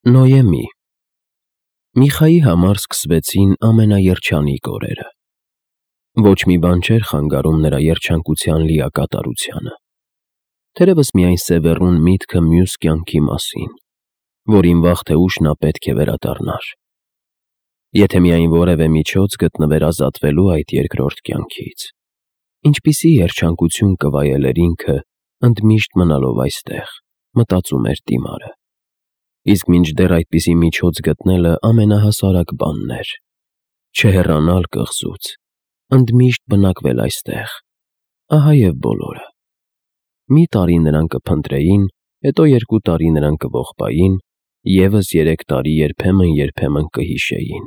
Նոյեմի Միխայի համար սկսվեցին ամենաերջանիկ օրերը։ Ոչ մի բան չէր խանգարում նրա երջանկության լիակատարությանը։ Թերևս միայն Սևեռուն միտքը մյուս կյանքի մասին, որին վաղ թե ուշ նա պետք է վերադառնար։ Եթե միայն որևէ միջոց գտնվեր ազատվելու այդ երկրորդ կյանքից, ինչպիսի երջանկություն կվայելեր ինքը, ընդմիշտ մնալով այստեղ, մտածում էր Դիմարը։ Իսկ մինչդեռ այդպիսի միջոց գտնելը ամենահասարակ բանն էր։ Չհեռանալ կղզուց, ընդմիշտ բնակվել այստեղ, ահա և բոլորը։ Մի տարի նրան կփնտրեին, հետո 2 տարի նրան կողբային, ևս 3 տարի երբեմն կհիշեին։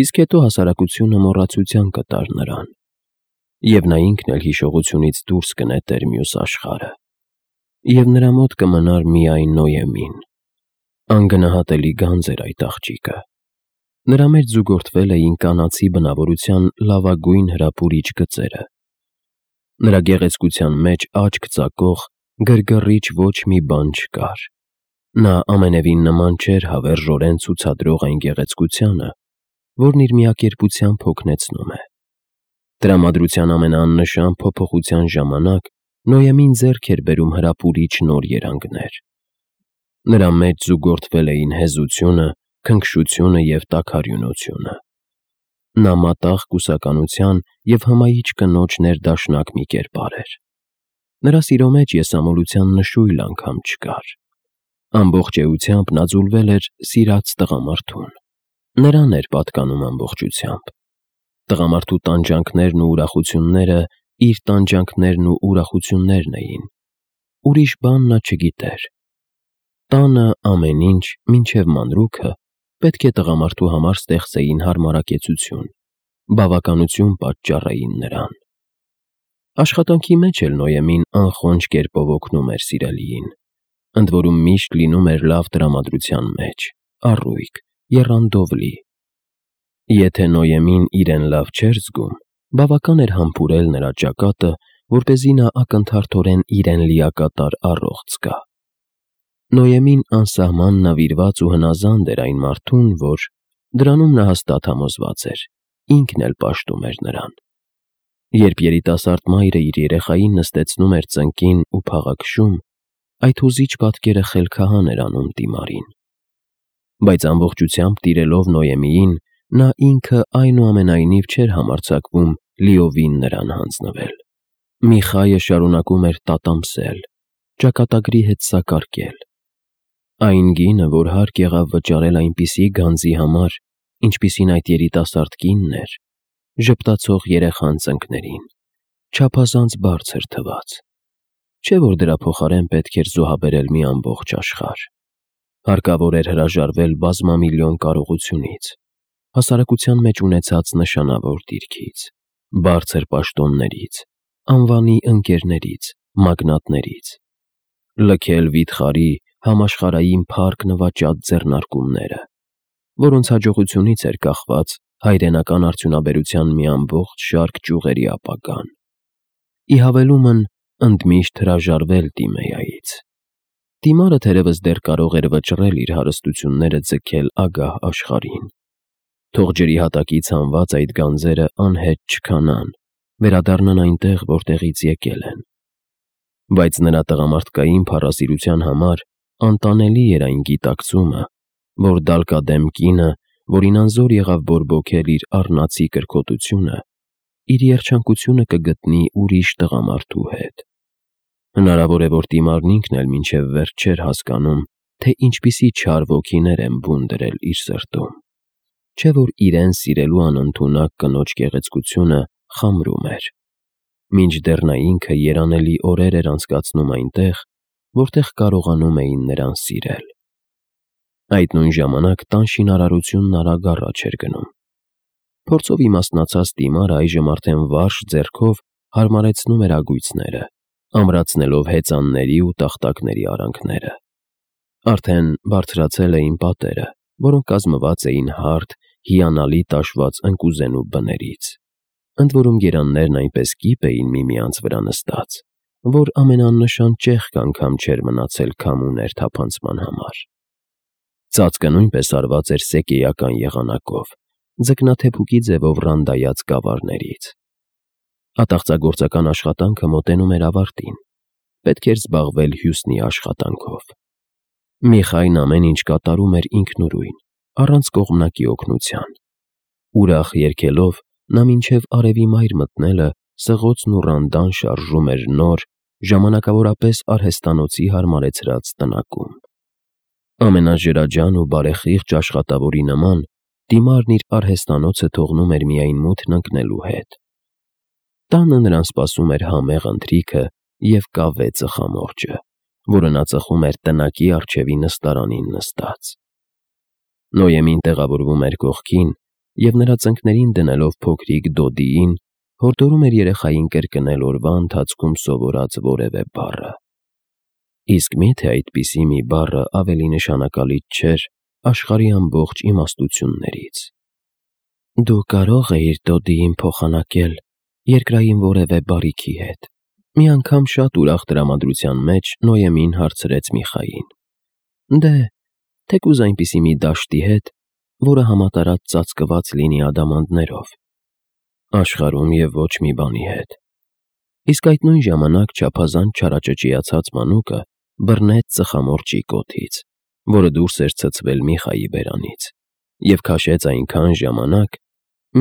Իսկ հետո հասարակությունը մոռացության կտար նրան, և նա ինքն էլ հիշողությունից դուրս կնետեր մյուս աշխարհը, և նրա մոտ կմնար միայն Նոյեմին։ Անգնահատելի գանձ էր այդ աղջիկը։ Նրա մեջ զուգորդվել էին կանացի բնավորության լավագույն հրապուրիչ գծերը։ Նրա գեղեցկության մեջ աչք ծակող, գրգռիչ ոչ մի բան չկար։ Նա ամենևին նման չէր հավերժորեն ցուցադրող այն գեղեցկությանը, որն իր միակերպությամբ հոգնեցնում է։ Տրամադրության ամենաաննշան փոփոխության ժամանակ Նոյեմին ձեռք էր բերում հրապուրիչ նոր երանգներ։ Նրա մեջ զուգորդվել էին հեզությունը, քնքշությունը և տաքարյունությունը։ Նա մատաղ կուսականության և հմայիչ կնոջ ներդաշնակ մի կերպար էր։ Նրա սիրո մեջ եսամոլության նշույլ անգամ չկար։ Ամբողջ էությամբ նա ձուլվել էր սիրած տղամարդուն։ Նրան էր պատկանում ամբողջությամբ։ Տղամարդու տանջանքներն ու ուրախությունները իր տանջանքներն ու ուրախություններն էին։ Ուրիշ բան նա չգիտեր։ Տանը ամեն ինչ, մինչև մանրուքը, պետք է տղամարդու համար ստեղծեին հարմարակեցություն, բավականություն պատճառեին նրան։ Աշխատանքի մեջ էլ Նոյեմին անխոնջ կերպով օգնում էր սիրելիին, ընդ որում միշտ լինում էր լավ տրամադրության մեջ, առույգ, եռանդով լի։ Եթե Նոյեմին իրեն լավ չէր զգում, բավական էր համբուրել նրա ճակատը, որպեսզի նա ակնթարթորեն իրեն լիակատար առողջ զգա։ Նոյեմին անսահման նվիրված ու հնազանդ էր այն մարդուն, որ, դրանում նա հաստատ համոզված էր, ինքն էլ պաշտում էր նրան։ Երբ երիտասարդ մայրը իր երեխային նստեցնում էր ծնկին ու փաղաքշում, այդ հուզիչ պատկերը խելքահան էր անում Դիմարին։ Բայց ամբողջությամբ տիրելով Նոյեմիին, նա ինքը այնուամենայնիվ չէր համարձակվում լիովին նրան հանձնվել։ Միխայը շարունակում էր տատամսել, ճակատագրի հետ սակարկել։ Այն գինը, որ հարկ եղավ վճարել այնպիսի գանձի համար, ինչպիսին այդ երիտասարդ կինն էր, ժպտացող երեխան ծնկներին, չափազանց բարձր թվաց։ Չէ՞ որ դրա փոխարեն պետք էր զոհաբերել մի ամբողջ աշխարհ։ Հարկավոր էր հրաժարվել բազմամիլիոն կարողությունից, հասարակության մեջ ունեցած նշանավոր դիրքից, բարձր պաշտոններից, անվանի ընկերներից, մագնատներից, լքել վիթխարի, համաշխարհային փառք նվաճած ձեռնարկումները, որոնց հաջողությունից էր կախված հայրենական արդյունաբերության մի ամբողջ շարք ճյուղերի ապագան։ Ի հավելումն ընդմիշտ հրաժարվել Տիմեյայից։ Դիմարը թերևս դեռ կարող էր վճռել իր հարստությունները ձգել ագահ աշխարհին։ Թող ջրի հատակից հանված այդ գանձերը անհետ չքանան, վերադառնան այնտեղ, որտեղից եկել են։ Բայց նրա տղամարդկային փառասիրության համար անտանելի էր այն գիտակցումը, որ դալկադեմ կինը, որին անզոր եղավ բորբոքել իր առնացի կրքոտությունը, իր երջանկությունը կգտնի ուրիշ տղամարդու հետ։ Հնարավոր է, որ Դիմարն ինքն էլ մինչև վերջ չէր հասկանում, թե ինչպիսի չար ոգիներ են բուն դրել իր սրտում։ Չէ՞ որ իրեն սիրելու անընդունակ կնոջ գեղեցկությունը խամրում էր, մինչդեռ նա ինքը երանելի օրեր էր անցկացնում այնտեղ, որտեղ կարողանում էին նրան սիրել։ Այդ նույն ժամանակ տան շինարարությունն արագ առաջ էր գնում։ Փորձով իմաստնացած Դիմարը այժմ արդեն վարժ ձեռքով հարմարեցնում էր ագույցները, ամրացնելով հեծանների ու տախտակների արանքները։ Արդեն բարձրացել էին պատերը, որոնք կազմված էին հարթ, հիանալի տաշված ընկուզենու բներից, ընդ որում երաններն այնպես կիպ էին միմյանց վրա նստած, որ ամենաաննշան ճեղք անգամ չէր մնացել քամու ներթափանցման համար։ Ծածկը նույնպես արված էր սեկեյական եղանակով, ձկնաթեփուկի ձևով ռանդայած գավառներից։ Ատաղծագործական աշխատանքը մոտենում էր ավարտին, պետք էր զբաղվել հյուսնի աշխատանքով։ Միխային ամեն ինչ կատարում էր ինքնուրույն, առանց կողմնակի օգնության։ Ուրախ երգելով նա մինչև արևի մայր մտնելը սղոցն ու ռանդան շարժում էր նոր, ժամանակավորապես արհեստանոցի հարմարեցրած տնակում։ Ամենաջրաջան ու բարեխիղճ աշխատավորի նման դիմարն իր արհեստանոցը թողնում էր միայն մութն ընկնելու հետ։ Տանը նրան սպասում էր համեղ ընթրիքը և կավե ծխամորճը, որը նա ծխում էր տնակի առջևի նստարանին նստած։ Նոյեմին տեղավորվում էր կողքին և նրա ծնկներին դնելով փոքրիկ Դոդիին, հորդորում էր երեխային կրկնել օրվա ընթացքում սովորած որևէ բառը։ Իսկ մի՞թե այդպիսի մի բառը ավելի նշանակալից չէր աշխարհի ամբողջ իմաստություններից։ «Դու կարո՞ղ էիր Դոդիին փոխանակել երկրային որևէ բարիքի հետ»։ Մի անգամ շատ ուրախ տրամադրության մեջ Նոյեմին հարցրեց Միխային։ «Դե, թեկուզ այնպիսի մի դաշտի հետ, որը համատարած ծածկված լինի ադամանդներով»։ Աշխարհում և ոչ մի բանի հետ։ Իսկ այդ նույն ժամանակ չափազանց չարաճճիացած մանուկը բռնեց ծխամորճի կոթից, որը դուրս էր ցցվել Միխայի բերանից, և քաշեց այնքան ժամանակ,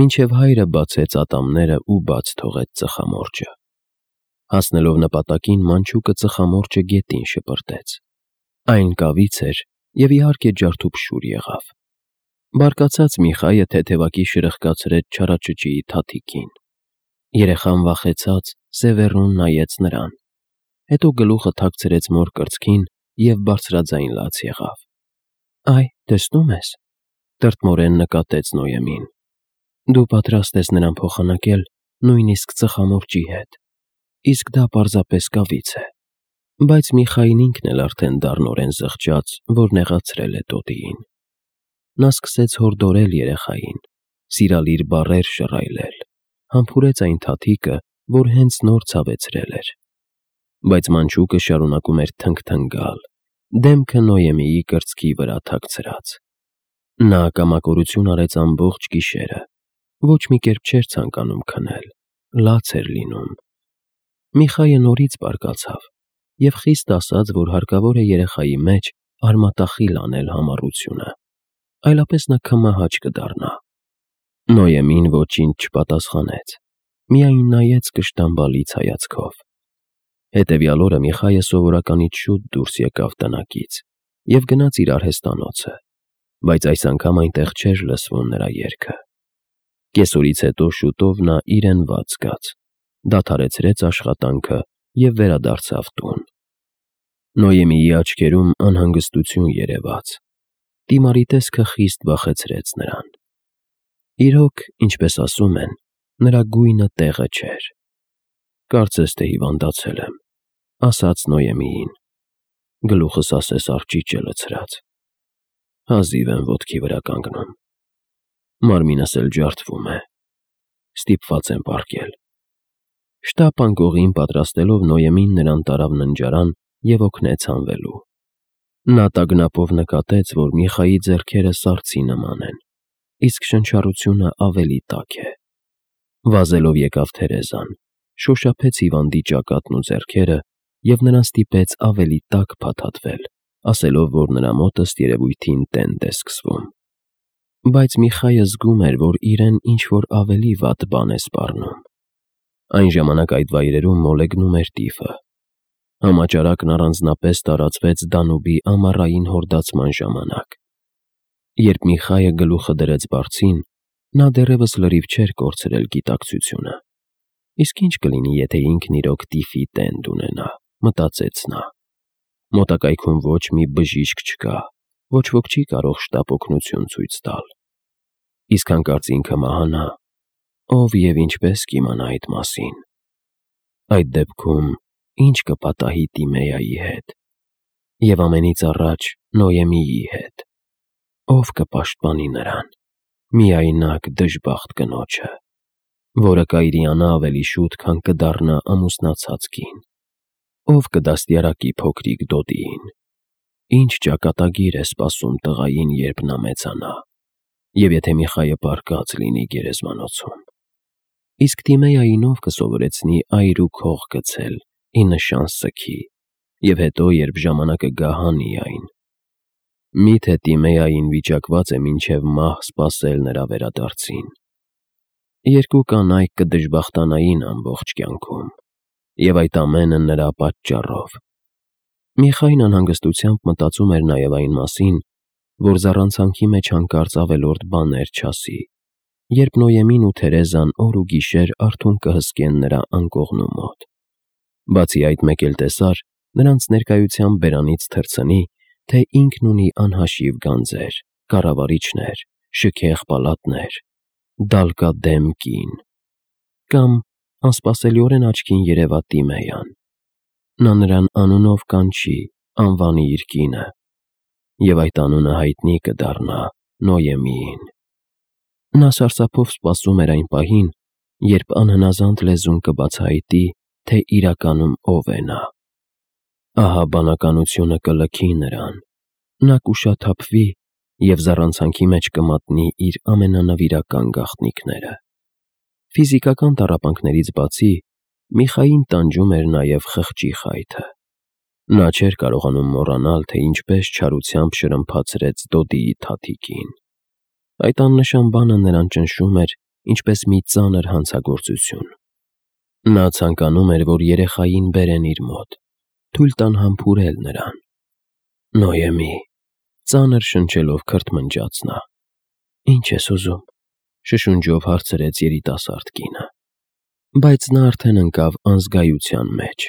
մինչև հայրը բացեց ատամները ու բաց թողեց ծխամորճը։ Հասնելով նպատակին, մանչուկը ծխամորճը գետին շպրտեց։ Այն կավից էր և իհարկե ջարդուփշուր եղավ։ Բարկացած Միխայը թեթևակի շրխկացրեց չարաճճիի թաթիկին։ Երեխան վախեցած սևեռուն նայեց նրան, հետո գլուխը թաքցրեց մոր կրծքին և բարձրաձայն լաց եղավ։ «Այ, տեսնո՞ւմ ես», տրտմորեն նկատեց Նոյեմին։ «Դու պատրաստ ես նրան փոխանակել նույնիսկ ծխամորճի հետ, իսկ դա պարզապես կավից է»։ Բայց Միխային ինքն էլ արդեն դառնորեն զղջաց, որ նեղացրել է Դոդիին։ Նա սկսեց հորդորել երեխային, սիրալիր բառեր շռայլել, համբուրեց այն թաթիկը, որ հենց նոր ցավեցրել էր։ Բայց մանչուկը շարունակում էր թնգթնգալ, դեմքը Նոյեմիի կրծքի վրա թաքցրած։ Նա կամակորություն արեց ամբողջ գիշերը, ոչ մի կերպ չէր ցանկանում քնել, լաց էր լինում։ Միխայը նորից բարկացավ և խիստ ասաց, որ հարկավոր է երեխայի մեջ արմատախիլ անել համառությունը, այլապես նա քմահաճ կդառնա։ Նոյեմին ոչինչ չպատասխանեց, միայն նայեց կշտամբալից հայացքով։ Հետևյալ օրը Միխայը սովորականից շուտ դուրս եկավ տնակից և գնաց իր արհեստանոցը, բայց այս անգամ այնտեղ չէր լսվում նրա երգը։ Կեսօրից հետո շուտով նա իրենված զգաց, դադարեցրեց աշխատանքը և վերադարձավ տուն։ Նոյեմիի աչքերում անհանգստություն երևաց։ Դիմարի տեսքը խիստ վախեցրեց նրան։ Իրոք, ինչպես ասում են, նրա գույնը տեղը չէր։ «Կարծես թե հիվանդացել եմ», ասաց Նոյեմիին։ Գլուխս ասես արճիճ է լցրած։ Հազիվ եմ ոտքի վրա կանգնում։ Մարմինս էլ ջարդվում է։ Ստիպված եմ պառկել։ Շտապ անկողին պատրաստելով Նոյեմին նրան տարավ ննջարան և օգնեց հանվելու։ Նա տագնապով նկատեց, որ Միխայի ձեռքերը սառցի նման են, իսկ շնչառությունը ավելի տաք է։ Վազելով եկավ Թերեզան, շոշափեց հիվանդի ճակատն ու ձեռքերը և նրան ստիպեց ավելի տաք փաթաթվել, ասելով, որ նրա մոտ ըստ երևույթին տենդ է սկսվում։ Բայց Միխայը զգում էր, որ իրեն ինչ-որ ավելի վատ բան է սպառնում։ Այն ժամանակ այդ վայրերում մոլեգնում էր տիֆը։ Համաճարակն առանձնապես տարածվեց Դանուբի ամառային հորդացման ժամանակ։ Երբ Միխայը գլուխը դրեց բարձին, նա դեռևս լրիվ չէր կորցրել գիտակցությունը։ Իսկ ինչ կլինի, եթե ինքն իրոք տիֆի տենդ ունենա, մտածեց նա։ Մոտակայքում ոչ մի բժիշկ չկա, ոչ ոք չի կարող շտապ օգնություն ցույց տալ։ Իսկ հանկարծ ինքը մահանա, ով և ինչպես կիմանա այդ մասին։ Այդ դեպքում ի՞նչ կպատահի Տիմեայի հետ, և ամենից առաջ Նոյեմիի հետ։ Ով կպաշտպանի նրան, միայնակ դժբախտ կնոջը, որը կայրիանա ավելի շուտ, քան կդառնա ամուսնացած կին։ Ով կդաստիարակի փոքրիկ Դոդիին։ Ինչ ճակատագիր է սպասում տղային, երբ նա մեծանա, և եթե Միխայը պառկած լինի գերեզմանոցում։ Իսկ Տիմեային ով կսովորեցնի այր ու քող գցել, ի նշան սգի, և հետո, երբ ժամանակը գա, հանի այն։ Միթե Տիմեային վիճակված է մինչև մահ սպասել նրա վերադարձին։ Երկու կանայք կդժբախտանային ամբողջ կյանքում, և այդ ամենը նրա պատճառով։ Միխային անհանգստությամբ մտածում էր նաև այն մասին, որ զառանցանքի մեջ հանկարծ ավելորդ բաներ չասի, երբ Նոյեմին ու Թերեզան օր ու գիշեր արթուն կհսկեն նրա անկողնու մոտ։ Բացի այդ, մեկ էլ տեսար նրանց ներկայությամբ բերանից թռցնի, թե ինքն ունի անհաշիվ գանձեր, կառավարիչներ, շքեղ պալատներ, դալկադեմ կին։ Կամ անսպասելիորեն աչքին երևա Տիմեյան։ Նա նրան անունով կանչի, անվանի իր կինը, և այդ անունը հայտնի կդառնա Նոյեմիին։ Նա սարսափով սպասում էր այն պահին, երբ անհնազանդ լեզուն կբացահայտի, թե իրականում ով է նա։ Ահա բանականությունը կլքի նրան, նա կուշաթափվի և զառանցանքի մեջ կմատնի իր ամենանվիրական գաղտնիքները։ Ֆիզիկական տառապանքներից բացի, Միխային տանջում էր նաև խղճի խայթը։ Նա չէր կարողանում մոռանալ, թե ինչպես չարությամբ շրմփացրեց Դոդիի թաթիկին։ Այդ աննշան բանը նրան ճնշում էր ինչպես մի ծանր հանցագործություն։ Նա ցանկանում էր, որ երեխային բերեն իր մոտ, թույլ տան համբուրել նրան։ Նոյեմի, ծանր շնչելով քրթմնջաց նա։ Ինչ ես ուզում, շշունջով հարցրեց երիտասարդ կինը։ Բայց նա արդեն ընկավ անզգայության մեջ,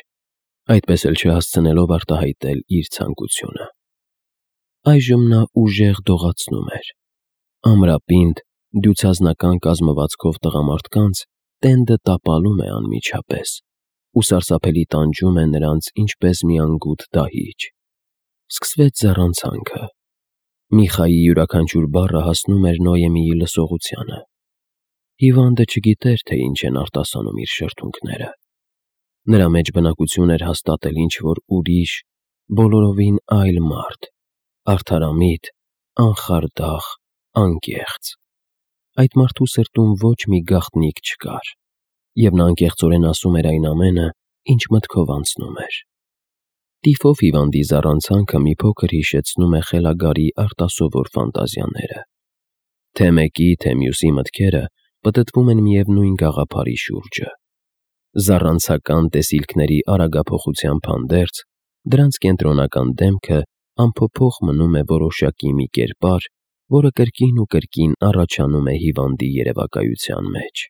այդպես էլ չհասցնելով արտահայտել իր ցանկությունը։ Այժմ նա ուժեղ դողացնում էր։ Ամրապինդ, դյուցազնական կազմվածքով տղամարդկանց տենդը տապալում է անմիջապես ու սարսափելի տանջում է նրանց ինչպես մի անգութ դահիճ։ Սկսվեց զառանցանքը։ Միխայի յուրաքանչյուր բառը հասնում էր Նոյեմիի լսողությանը։ Հիվանդը չգիտեր, թե ինչ են արտասանում իր շրթունքները։ Նրա մեջ բնակություն էր հաստատել ինչ-որ ուրիշ, բոլորովին այլ մարդ, արդարամիտ, անխարդախ, անկեղծ։ Այդ մարդու սրտում ոչ մի գաղտնիք չկար, և նա անկեղծորեն ասում էր այն ամենը, ինչ մտքով անցնում էր։ Տիֆով հիվանդի զառանցանքը մի փոքր հիշեցնում է խելագարի արտասովոր ֆանտազիաները։ Թե մեկի, թե մյուսի մտքերը պտտվում են միևնույն գաղափարի շուրջը։ Զառանցական տեսիլքների արագափոխությամբ հանդերձ, դրանց կենտրոնական դեմքը անփոփոխ մնում է որոշակի մի կերպար, որը կրկին ու կրկին առաջանում է հիվանդի երևակայության մեջ։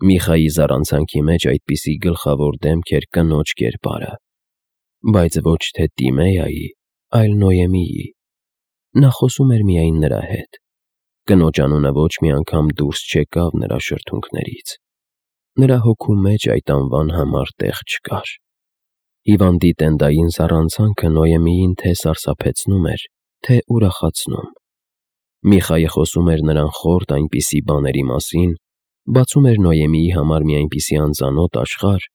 Միխայի զառանցանքի մեջ այդպիսի գլխավոր դեմք էր կնոջ կերպարը, բայց ոչ թե Տիմեայի, այլ Նոյեմիի։ Նա խոսում էր միայն նրա հետ։ Կնոջ անունը ոչ մի անգամ դուրս չեկավ նրա շրթունքներից։ Նրա հոգու մեջ այդ անվան համար տեղ չկար։ Հիվանդի տենդային զառանցանքը Նոյեմիին թե սարսափեցնում էր, թե ուրախացնում։ Միխայը խոսում էր նրան խորտ այնպիսի բաների մասին, բացում էր Նոյեմիի համար մի այնպիսի անծանոթ աշխարհ,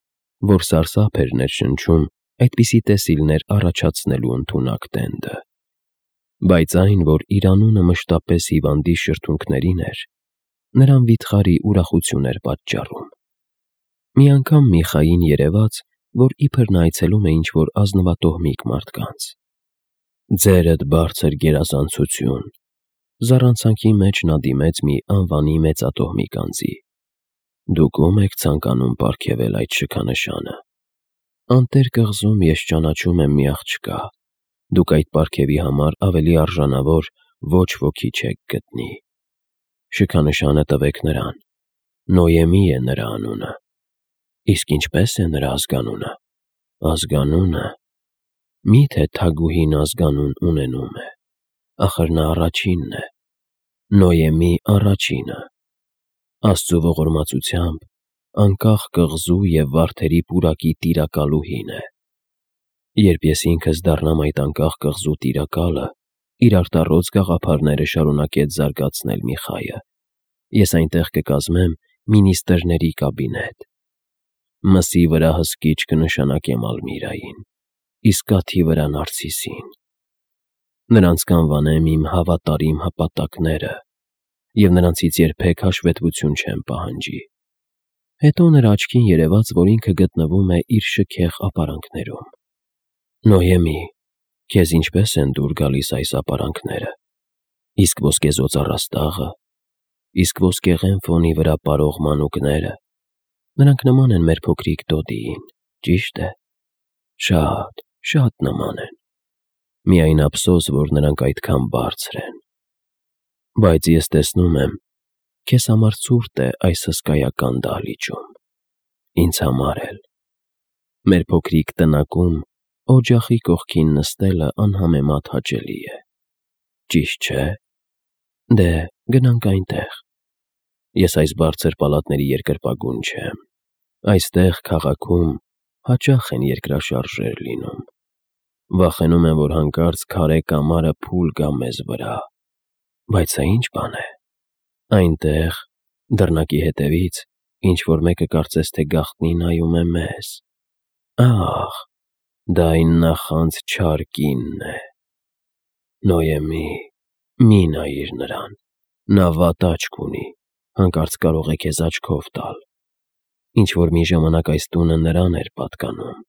որ սարսափ էր ներշնչում այդպիսի տեսիլներ առաջացնելու ընդունակ տենդը։ Բայց այն, որ իր անունը մշտապես հիվանդի շրթունքներին էր, նրան վիթխարի ուրախություն էր պատճառում։ Մի անգամ Միխային երևաց, որ իբր նա այցելում է ինչ-որ ազնվատոհմիկ մարդկանց։ «Ձերդ բարձր գերազանցություն», զառանցանքի մեջ նա դիմեց մի անվանի մեծատոհմիկ անձի։ «Դուք ո՞ւմ եք ցանկանում պարգևել այդ շքանշանը։ Անտեր կղզում ես ճանաչում եմ մի աղջկա, դուք այդ պարգևի համար ավելի արժանավոր ոչ ոքի չեք գտնի։ Շքանշանը տվեք նրան, Նոյեմի է նրա անունը։ Իսկ ինչպե՞ս է նրա ազգանունը։ Ազգանունը… Մի՞թե թագուհին ազգանուն ունենում է։ Ախր նա առաջինն է, Նոյեմի առաջինը։ Աստծու ողորմածությամբ անկախ կղզու և վարդերի պուրակի տիրակալուհին է։ Երբ ես ինքս դառնամ այդ անկախ կղզու տիրակալը, իր արտառոց գաղափարները շարունակեց զարգացնել Միխայը, ես այնտեղ կկազմեմ մինիստրների կաբինետ։ Մսի վրա հսկիչ կնշանակեմ Ալմիրային, իսկ կաթի վրա Նարցիսին։ Նրանց կանվանեմ իմ հավատարիմ հպատակները և նրանցից երբեք հաշվետվություն չեմ պահանջի։ Հետո նրա աչքին երևաց, որ ինքը գտնվում է իր շքեղ ապարանքներում։ Նոյեմի, քեզ ինչպես են դուր գալիս այս ապարանքները, իսկ ոսկեզոծ առաստաղը, իսկ ոսկեղեն ֆոնի վրա պարող մանուկները, նրանք նման են մեր փոքրիկ Դոդիին, ճիշտ է, շատ նման են, միայն ափսոս, որ նրանք այդքան բարձր են, բայց ես տեսնում եմ, քեզ համար ցուրտ է այս հսկայական դահլիճում, ինձ համար էլ, մեր փոքրիկ տնակում օջախի կողքին նստելը անհամեմատ հաճելի է, ճիշտ չէ, դե գնանք այնտեղ, ես այս բարձր պալատների երկրպագուն չեմ, այստեղ քաղաքում հաճախ են երկրաշարժեր լինում, վախենում եմ, որ հանկարծ քարե կամարը փուլ գա մեզ վրա, բայց սա ինչ բան է, այնտեղ, դռնակի հետևից, ինչ-որ մեկը կարծես թե գաղտնի նայում է մեզ, ահ, դա այն նախանձ չար կինն է, Նոյեմի, մի նայիր նրան, նա վատ աչք ունի, հանկարծ կարող է քեզ աչքով տալ, ինչ-որ մի ժամանակ այս տունը նրան էր պատկանում,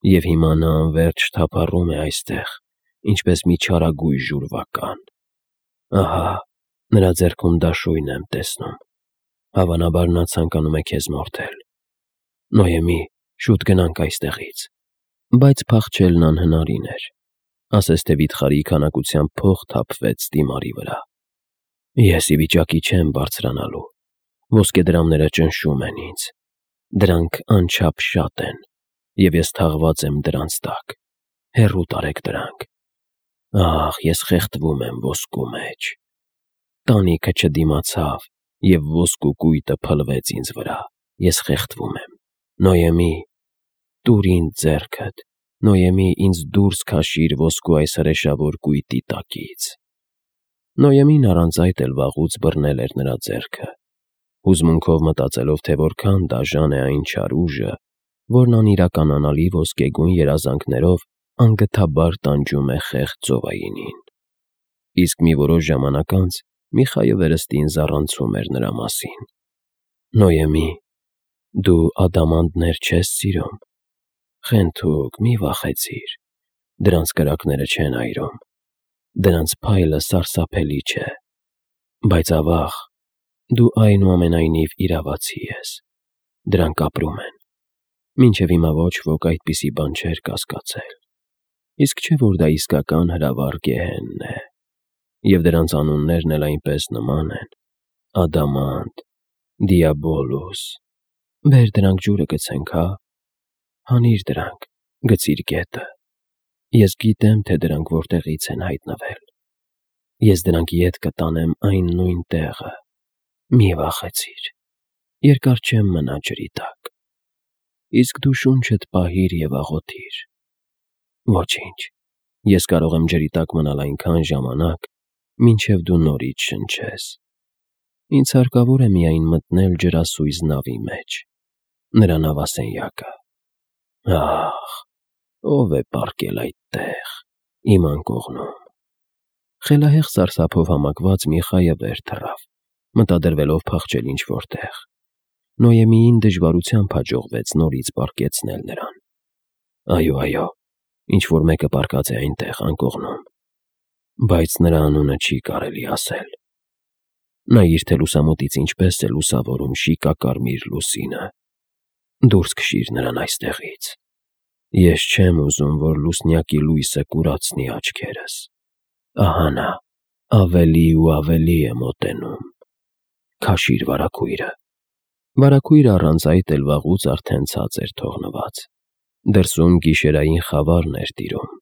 և հիմա նա անվերջ թափառում է այստեղ, ինչպես մի չարագույժ ուրվական, ահա, նրա ձեռքում դաշույն եմ տեսնում, հավանաբար նա ցանկանում է քեզ մորթել, Նոյեմի, շուտ գնանք այստեղից, բայց փախչելն անհնարին էր, ասես թե վիթխարի քանակությամբ փող թափվեց դիմարի վրա, ես ի վիճակի չեմ բարձրանալու, ոսկեդրամները ճնշում են ինձ, դրանք անչափ շատ են, և ես թաղված եմ դրանց տակ, հեռու տարեք դրանք, ահ, ես խեղդվում եմ ոսկու մեջ, տանիքը չդիմացավ, և ոսկու կույտը փլվեց ինձ վրա, ես խեղդվում եմ, Նոյեմի, տուր ինձ ձեռքդ, Նոյեմի, ինձ դուրս քաշիր ոսկու այս հրեշավոր կույտի տակից, Նոյեմին առանց այդ էլ վաղուց բռնել էր նրա ձեռքը, հուզմունքով մտածելով, թե որքան դաժան է այն չար ուժը, որն անիրականանալի ոսկեգույն երազանքներով անգթաբար տանջում է խեղճ ծովայինին, իսկ մի որոշ ժամանակ անց Միխայը վերստին զառանցում էր նրա մասին, Նոյեմի, դու ադամանդներ չես սիրում, խենթուկ, մի վախեցիր, դրանց կրակները չեն այրում, դրանց փայլը սարսափելի չէ, բայց ավաղ, դու այնուամենայնիվ իրավացի ես, դրանք ապրում են, մինչև հիմա ոչ ոք այդպիսի բան չէր կասկածել, իսկ չէ որ դա իսկական հրավառ Գեհենն է, և դրանց անուններն էլ այնպես նման են, Ադամանդ, Դիաբոլուս, բեր դրանք ջուրը գցենք, հա, հանիր դրանք, գցիր գետը, ես գիտեմ, թե դրանք որտեղից են հայտնվել, ես դրանք ետ կտանեմ այն նույն տեղը, մի վախեցիր, երկար չեմ մնա ջրի տակ, իսկ դու շունչդ պահիր և աղոթիր, ոչինչ, ես կարող եմ ջրի տակ մնալ այնքան ժամանակ, մինչև դու նորից շնչես, ինձ հարկավոր է միայն մտնել ջրասույզ նավի մեջ, նրա նավասենյակը, ահ, ով է պառկել այդտեղ, իմ անկողնում, խելահեղ սարսափով համակված Միխայը վեր թռավ, մտադրվելով փախչել ինչ-որ տեղ, Նոյեմիին դժվարությամբ հաջողվեց նորից պառկեցնել նրան, այո, ինչ-որ մեկը պառկած է այնտեղ անկողնում, բայց նրա անունը չի կարելի ասել, նայիր, թե լուսամուտից ինչպես է լուսավորում շիկակարմիր լուսինը, դուրս քշիր նրան այստեղից, ես չեմ ուզում, որ լուսնյակի լույսը կուրացնի աչքերս, ահա նա, ավելի ու ավելի է մոտենում, քաշիր վարագույրը առանց այդ էլ վաղուց արդեն ցած էր թողնված, դրսում գիշերային խավարն էր տիրում,